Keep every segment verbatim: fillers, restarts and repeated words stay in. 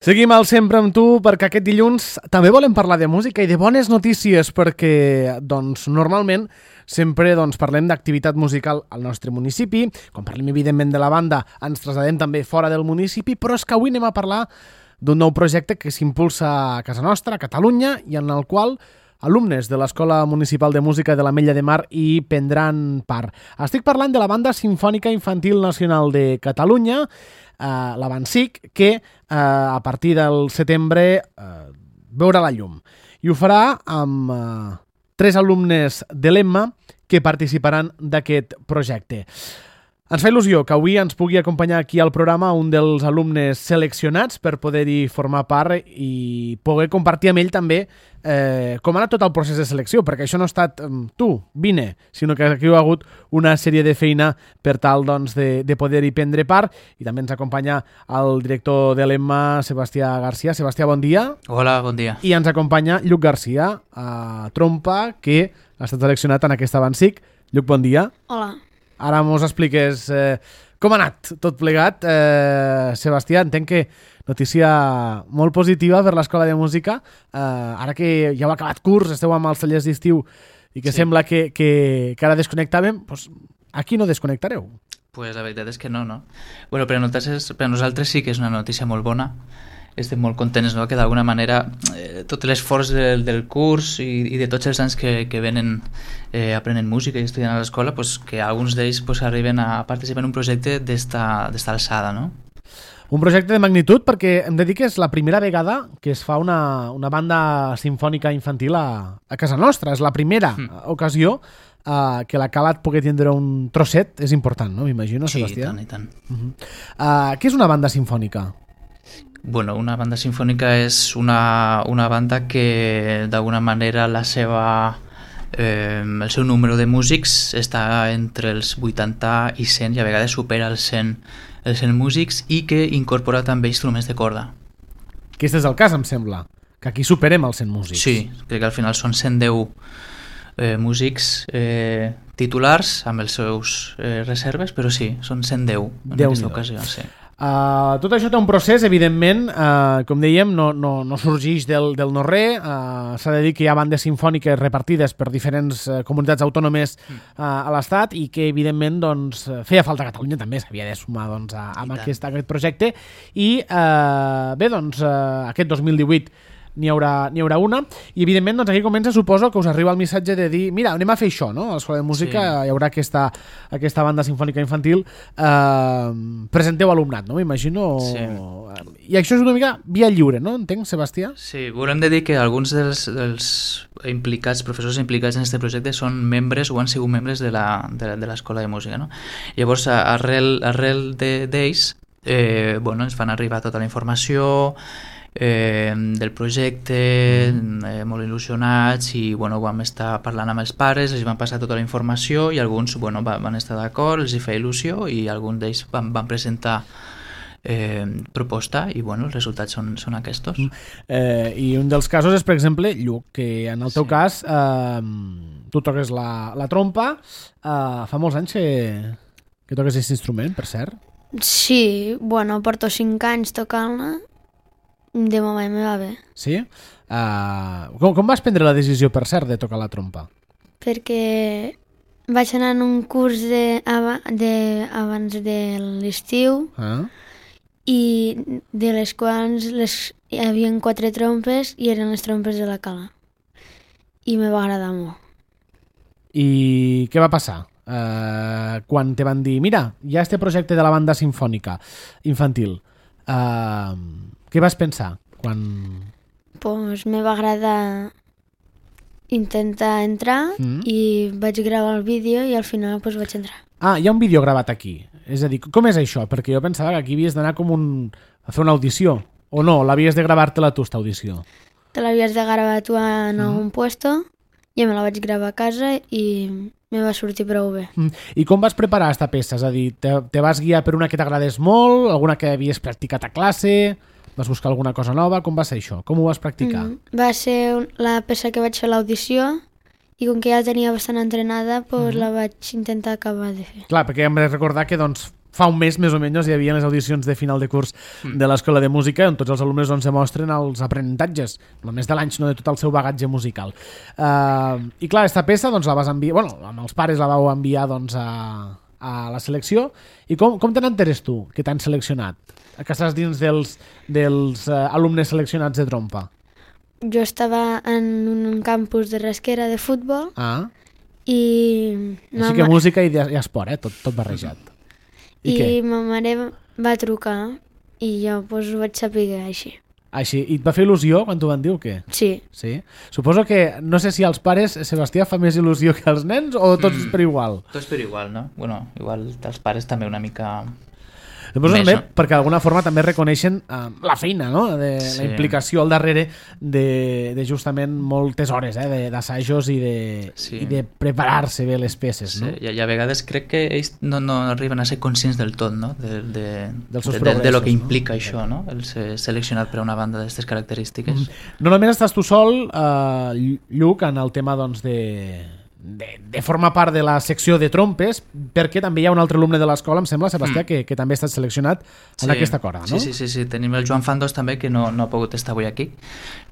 Seguim al Sempre amb tu perquè aquest dilluns també volem parlar de música i de bones notícies perquè doncs, normalment sempre doncs, parlem d'activitat musical al nostre municipi. Quan parlem evidentment de la banda ens traslladem també fora del municipi, però és que avui anem a parlar d'un nou projecte que s'impulsa a casa nostra, a Catalunya, i en el qual alumnes de l'Escola Municipal de Música de l'Ametlla de Mar hi prendran part. Estic parlant de la Banda Simfònica Infantil Nacional de Catalunya, Uh, la BANSIC, que uh, a partir del setembre uh, veurà la llum. I ho farà amb uh, tres alumnes de l'Emma que participaran d'aquest projecte. Ens fa il·lusió que avui ens pugui acompanyar aquí al programa un dels alumnes seleccionats per poder-hi formar part i poder compartir amb ell també eh, com ha anat tot el procés de selecció, perquè això no ha estat um, tu, vine, sinó que aquí hi ha hagut una sèrie de feina per tal doncs, de, de poder-hi prendre part. I també ens acompanya el director de l'Emma, Sebastià Garcia. Sebastià, bon dia. Hola, bon dia. I ens acompanya Lluc Garcia, a trompa, que ha estat seleccionat en aquesta BANSIC. Lluc, bon dia. Hola. Ara mos expliques eh, com ha anat tot plegat. Eh, Sebastià, entenc que notícia molt positiva per l'Escola de Música. Eh, ara que ja heu acabat curs, esteu amb els tallers d'estiu i que sí. sembla que, que, que ara desconnectàvem, doncs aquí no desconnectareu. Pues la veritat és que no, no? Bueno, per a nosaltres, per a nosaltres sí que és una notícia molt bona. Estem molt contents, no?, que d'alguna manera eh, tot l'esforç del, del curs i, i de tots els anys que, que venen eh, aprenent música i estudiant a l'escola, pues, que alguns d'ells pues, arriben a participar en un projecte d'esta alçada, no? Un projecte de magnitud perquè hem de dir que és la primera vegada que es fa una, una banda simfònica infantil a, a casa nostra. És la primera mm. ocasió uh, que la Cala et pugui tindre un trosset. És important, no? M'imagino, sí, Sebastià? Sí, i tant, i tant. Uh-huh. uh, què és una banda simfònica? Bueno, una banda sinfònica és una, una banda que d'alguna manera la seva, eh, el seu número de músics està entre els vuitanta i cent i a vegades supera els cent, els cent músics i que incorpora també instruments de corda. Aquest és el cas, em sembla, que aquí superem els cent músics. Sí, crec que al final són cent deu eh, músics eh, titulars amb els seus eh, reserves, però sí, són cent deu en aquesta ocasió, sí. Uh, tot això té un procés, evidentment, uh, com dèiem, no, no, no sorgeix del, del no-res. Uh, s'ha de dir que hi ha bandes simfòniques repartides per diferents uh, comunitats autònomes uh, a l'Estat i que, evidentment, doncs, feia falta a Catalunya també, s'havia de sumar doncs, a, a aquest, a aquest projecte. I, uh, bé, doncs, uh, aquest dos mil divuit n'hi haurà, n'hi haurà una, i evidentment doncs, aquí comença, suposo, que us arriba el missatge de dir, mira, anem a fer això, no? A l'Escola de Música sí. Hi haurà aquesta, aquesta banda simfònica infantil, eh, presenteu alumnat, no? M'imagino. Sí. I això és una mica via lliure, no? Entenc, Sebastià? Sí, volem de dir que alguns dels, dels implicats, professors implicats en aquest projecte són membres o han sigut membres de la, de, de l'Escola de Música, no? Llavors, arrel, arrel d'ells, eh, bueno, ens fan arribar tota la informació Eh, del projecte, eh, molt il·lusionats, i bueno, vam estar parlant amb els pares, els van passar tota la informació i alguns bueno, va, van estar d'acord, els hi feia il·lusió i alguns d'ells van, van presentar eh, proposta i bueno, els resultats són, són aquests. Eh, I un dels casos és, per exemple, Lluc, que en el teu sí. cas eh, tu toques la, la trompa, eh, fa molts anys que, que toques aquest instrument, per cert? Sí, bueno, porto cinc anys tocant-la. De moment me va bé. Sí? Uh, com, com vas prendre la decisió, per cert, de tocar la trompa? Perquè vaig anar en un curs de, de, abans de l'estiu ah. i de les quals les, hi havia quatre trompes i eren les trompes de la Cala. I me va agradar molt. I què va passar? Uh, quan te van dir, mira, hi ha este projecte de la banda simfònica infantil. Uh, què vas pensar quan... Pues me va agradar intentar entrar mm. i vaig gravar el vídeo i al final pues, vaig entrar. Ah, hi ha un vídeo gravat aquí. És a dir, com és això? Perquè jo pensava que aquí havies d'anar com un... a fer una audició. O no, l'havies de gravar-te-la tu, esta audició? Te l'havies de gravar tu en mm. algun puesto i me la vaig gravar a casa i... me va sortir prou bé. I com vas preparar aquesta peça? És a dir, te, te vas guiar per una que t'agradés molt, alguna que havies practicat a classe, vas buscar alguna cosa nova? Com va ser això? Com ho vas practicar? Mm, va ser la peça que vaig fer a l'audició i com que ja tenia bastant entrenada, pues, mm. la vaig intentar acabar de fer. Clar, perquè hem de recordar que doncs, fa un mes més o menys hi havia les audicions de final de curs de l'Escola de Música on tots els alumnes doncs, demostren els aprenentatges només de l'any, sinó de tot el seu bagatge musical. Uh, I clar, aquesta peça doncs, la vas enviar, bueno, amb els pares la vau enviar doncs, a, a la selecció. I com, com te n'enteres tu que t'han seleccionat? Que estàs dins dels, dels uh, alumnes seleccionats de trompa? Jo estava en un campus de Rasquera de futbol ah. i... Així que música i, i esport, eh? tot, tot barrejat. I, I ma mare va trucar i jo pues, ho vaig saber així. Així. I et va fer il·lusió quan t'ho van dir o què? Sí. Sí. Suposo que, no sé si als pares, Sebastià, fa més il·lusió que als nens o tots mm. per igual? Tots per igual, no? Bueno, igual els pares també una mica... Després també, no? Perquè d'alguna forma també reconeixen uh, la feina, no? De sí. La implicació al darrere de, de justament moltes hores eh? d'assajos i, de, sí. i de preparar-se bé les peces. Sí. No? I, I a vegades crec que ells no, no arriben a ser conscients del tot, no? De, de, Dels seus de, de, de lo que no? implica això, no? El ser seleccionat per a una banda d'aquestes característiques. Mm. No només estàs tu sol, uh, Lluc, en el tema doncs, de... De, de formar part de la secció de trompes, perquè també hi ha un altre alumne de l'escola, em sembla, Sebastià, mm. que, que també ha estat seleccionat en sí. aquesta corda, no? Sí, sí, sí, sí, tenim el Joan Fandos també, que no, no ha pogut estar avui aquí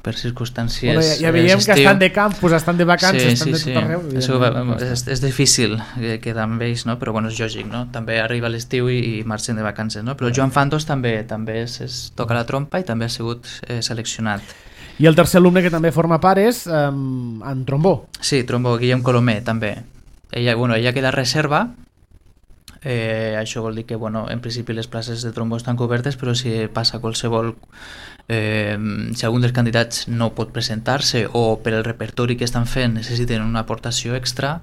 per circumstàncies... Bueno, ja, ja veiem que estan de campus, estan de vacances, sí, estan sí, de tot arreu. Sí, sí. És, és difícil quedar amb ells, no? Però bueno, és lògic, no? També arriba l'estiu i, i marxen de vacances, no? Però el Joan Fandos també també és, és, toca la trompa i també ha sigut eh, seleccionat. I el tercer alumne que també forma part és um, en trombó. Sí, trombó, Guillem Colomer, també. Ella, bueno, ella queda reserva, eh, això vol dir que bueno, en principi les places de trombó estan cobertes, però si passa qualsevol... Eh, si algun dels candidats no pot presentar-se o per el repertori que estan fent necessiten una aportació extra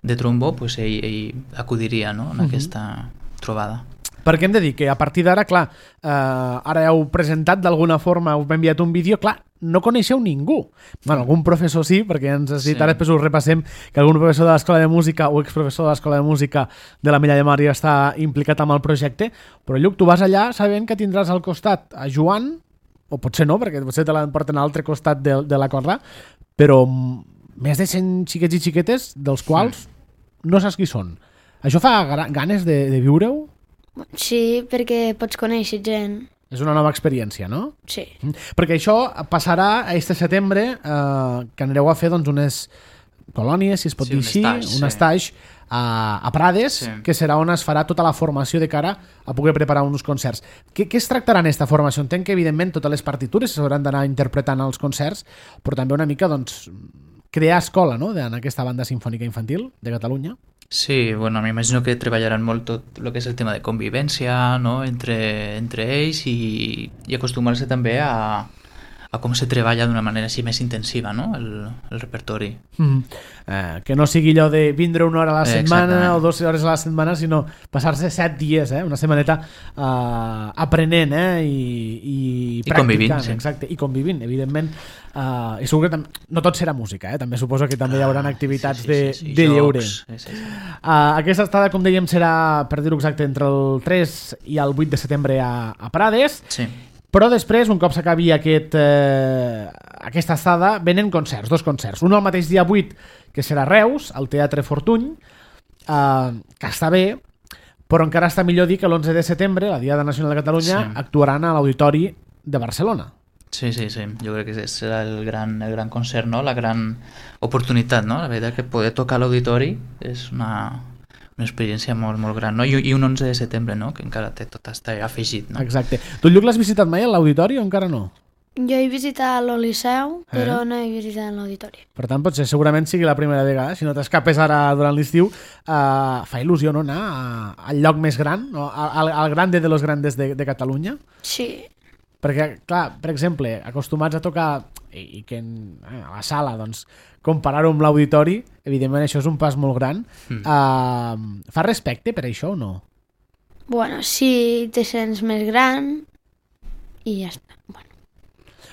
de trombó, pues ell, ell acudiria no, en uh-huh. aquesta trobada. Perquè hem de dir que a partir d'ara, clar, eh, ara heu presentat d'alguna forma, heu enviat un vídeo, clar, no coneixeu ningú. Bueno, algun professor sí, perquè ens has dit, sí. Ara després us repassem que algun professor de l'Escola de Música o exprofessor de l'Escola de Música de la Milla de Mar ja està implicat amb el projecte, però Lluc, tu vas allà sabent que tindràs al costat a Joan, o potser no, perquè potser te l'emporten a l'altre costat de, de la corda, però més de cent xiquets i xiquetes, dels quals sí. no saps qui són. Això fa ganes de, de viure-ho? Sí, perquè pots conèixer gent. És una nova experiència, no? Sí. Perquè això passarà este setembre, eh, que anireu a fer doncs, unes colònies, si es pot sí, dir així, un un estatge a, a Prades, sí. que serà on es farà tota la formació de cara a poder preparar uns concerts. Què, què es tractarà en aquesta formació? Entenc que, evidentment, totes les partitures s'hauran d'anar interpretant als concerts, però també una mica doncs, crear escola, no?, en aquesta banda sinfònica infantil de Catalunya. Sí, bueno, m'imagino que treballaran molt tot el que és el tema de convivència, no?, entre, entre ells i, i acostumar-se també a, a com se treballa d'una manera així més intensiva, no?, el, el repertori. Mm. Eh, que no sigui allò de vindre una hora a la setmana Exactament. o dues hores a la setmana, sinó passar-se set dies, eh, una setmaneta eh, aprenent eh, i, i, I convivint. Sí. Exacte, i convivint, evidentment. Eh, I segur que tam- no tot serà música, eh? També suposo que també hi haurà activitats sí, sí, de, sí, sí. de Jocs, lleure. Sí, sí, sí. Uh, aquesta estada, com dèiem, serà, per dir-ho exacte, entre el tres i el vuit de setembre a, a Prades. Sí. Però després, un cop s'acabi aquest, eh, aquesta estada, venen concerts, dos concerts. Un el mateix dia vuit, que serà a Reus, al Teatre Fortuny, eh, que està bé, però encara està millor dir que l'onze de setembre, la Diada Nacional de Catalunya, sí. actuaran a l'Auditori de Barcelona. Sí, sí, sí. Jo crec que serà el gran, el gran concert, no? La gran oportunitat, no? La veritat que poder tocar a l'auditori és una... una experiència molt, molt gran, no? I, i un onze de setembre, no? Que encara té tot està afegit, no? Exacte. Tu, Lluc, l'has visitat mai a l'auditori o encara no? Jo he visitat el Liceu, però eh? no he visitat l'auditori. Per tant, potser segurament sigui la primera vegada. Si no t'escapes ara durant l'estiu, uh, fa il·lusió, no?, anar a, al lloc més gran, no? al, al grande de los grandes de, de Catalunya. Sí. Perquè, clar, per exemple, acostumats a tocar i, i que en, eh, a la sala, doncs, comparar-ho amb l'auditori, evidentment això és un pas molt gran. Mm. Uh, fa respecte per això o no? Bueno, sí, te sents més gran i ja està. Bueno.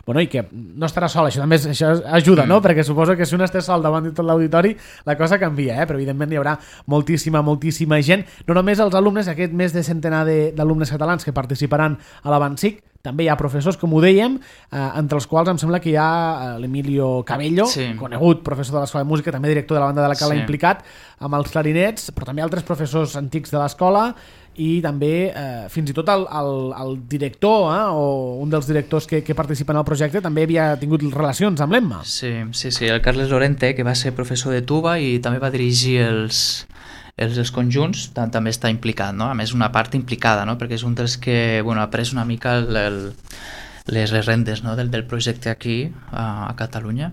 Bueno, i que no estarà sol, això també això ajuda, mm. no? Perquè suposo que si un està sol davant de tot l'auditori, la cosa canvia, eh? Però evidentment hi haurà moltíssima, moltíssima gent. No només els alumnes, aquest més de centenar d'alumnes catalans que participaran a l'Avancic, també hi ha professors, com ho dèiem, eh, entre els quals em sembla que hi ha eh, l'Emilio Cabello, sí. conegut professor de l'Escola de Música, també director de la banda de la Cala sí. implicat, amb els clarinets, però també altres professors antics de l'escola i també eh, fins i tot el, el, el director eh, o un dels directors que, que participen al projecte també havia tingut relacions amb l'Emma. Sí, sí, sí, el Carles Lorente, que va ser professor de tuba i també va dirigir els, els, els conjunts, també està implicat, no? A més, una part implicada, no? Perquè és un dels que bueno, ha pres una mica el, el, les, les rendes, no? del, del projecte aquí a, a Catalunya.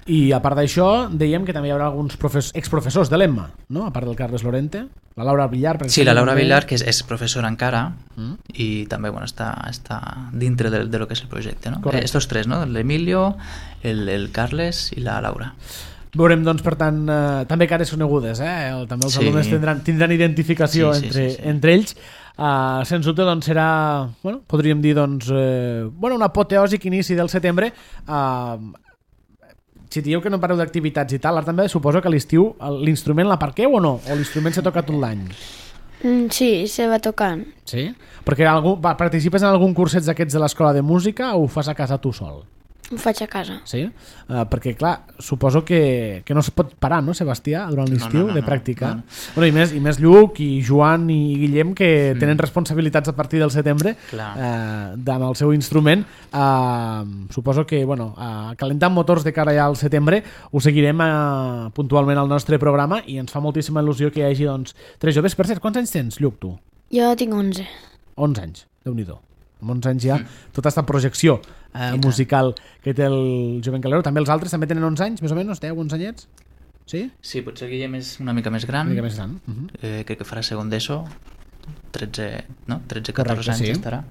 I a part d'això, dèiem que també hi haurà alguns profes, exprofessors de l'Emma, no? A part del Carles Lorente, la Laura Villar. Per sí, la Laura també... Villar, que és, és professora encara, mm. i també bueno, està, està dintre de, de lo que és el projecte. No? Correcte. Estos tres, no? L'Emilio, el, el Carles i la Laura. Veurem, doncs, per tant, eh, també cares conegudes, eh? El, també els sí. alumnes tindran, tindran identificació sí, sí, entre, sí, sí. entre ells. Uh, sens dubte, doncs, serà, bueno, podríem dir, doncs, eh, bueno, un apoteòsic inici del setembre. Uh, si dieu que no pareu d'activitats i tal, ara també suposo que a l'estiu l'instrument l'aparqueu o no? O l'instrument se toca tot l'any? Mm, sí, se va tocant. Sí? Perquè algú, va, participes en algun curset d'aquests de l'escola de música o ho fas a casa tu sol? Ho faig a casa. Sí? Uh, perquè, clar, suposo que, que no es pot parar, no, Sebastià, durant l'estiu, no, no, no, de practicar. No, no. Bueno, i, més, I més Lluc i Joan i Guillem, que mm. tenen responsabilitats a partir del setembre uh, amb el seu instrument. Uh, suposo que, bueno, uh, calentant motors de cara ja al setembre, ho seguirem uh, puntualment al nostre programa i ens fa moltíssima il·lusió que hi hagi, doncs, tres joves. Per cert, quants anys tens, Lluc, tu? Jo tinc onze. onze anys, Déu-n'hi-do. Amb onze anys ja, mm. tota aquesta projecció eh, musical que té el Jovent Calero. També els altres també tenen onze anys, més o menys, deu, onze anyets? Sí? Sí, potser Guillem és una mica més gran. Una mica més gran. Uh-huh. eh, crec que farà segon d'ESO, tretze, no? tretze catorze anys sí. estarà.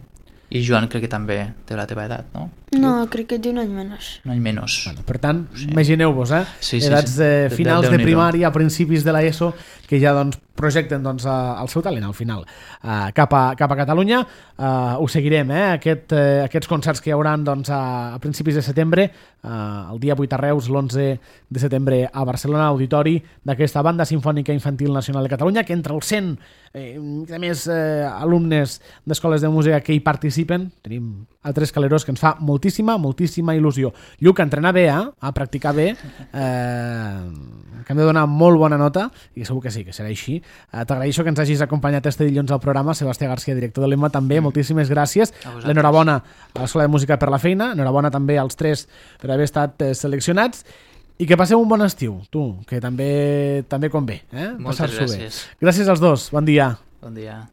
I Joan crec que també té la teva edat, no? No, crec que té un any menys. Un any menys. Bueno, per tant, sí. imagineu-vos, eh? Sí, sí, edats sí. de finals de, de, de primària, a principis de l'ESO, que ja doncs, projecten doncs, el seu talent al final uh, cap, a, cap a Catalunya. Uh, ho seguirem, eh? Aquest, uh, aquests concerts que hi haurà doncs, a, a principis de setembre, uh, el dia vuit a Reus, l'onze de setembre a Barcelona, auditori d'aquesta Banda Simfònica Infantil Nacional de Catalunya, que entre els cent eh, a més eh, alumnes d'escoles de música que hi participen, tenim altres caleros que ens fa moltíssima, moltíssima il·lusió. Lluc, a entrenar bé, eh? A practicar bé, eh, que hem de donar molt bona nota, i segur que sí, que serà així. Eh, T'agraeixo que ens hagis acompanyat este dilluns al programa, Sebastià García, director de l'Emma, també, mm. moltíssimes gràcies. L'enhorabona a l'Escola de Música per la feina, enhorabona també als tres per haver estat eh, seleccionats, i que passeu un bon estiu, tu, que també també convé, eh? Moltes gràcies. Bé. Gràcies als dos, bon dia. Bon dia.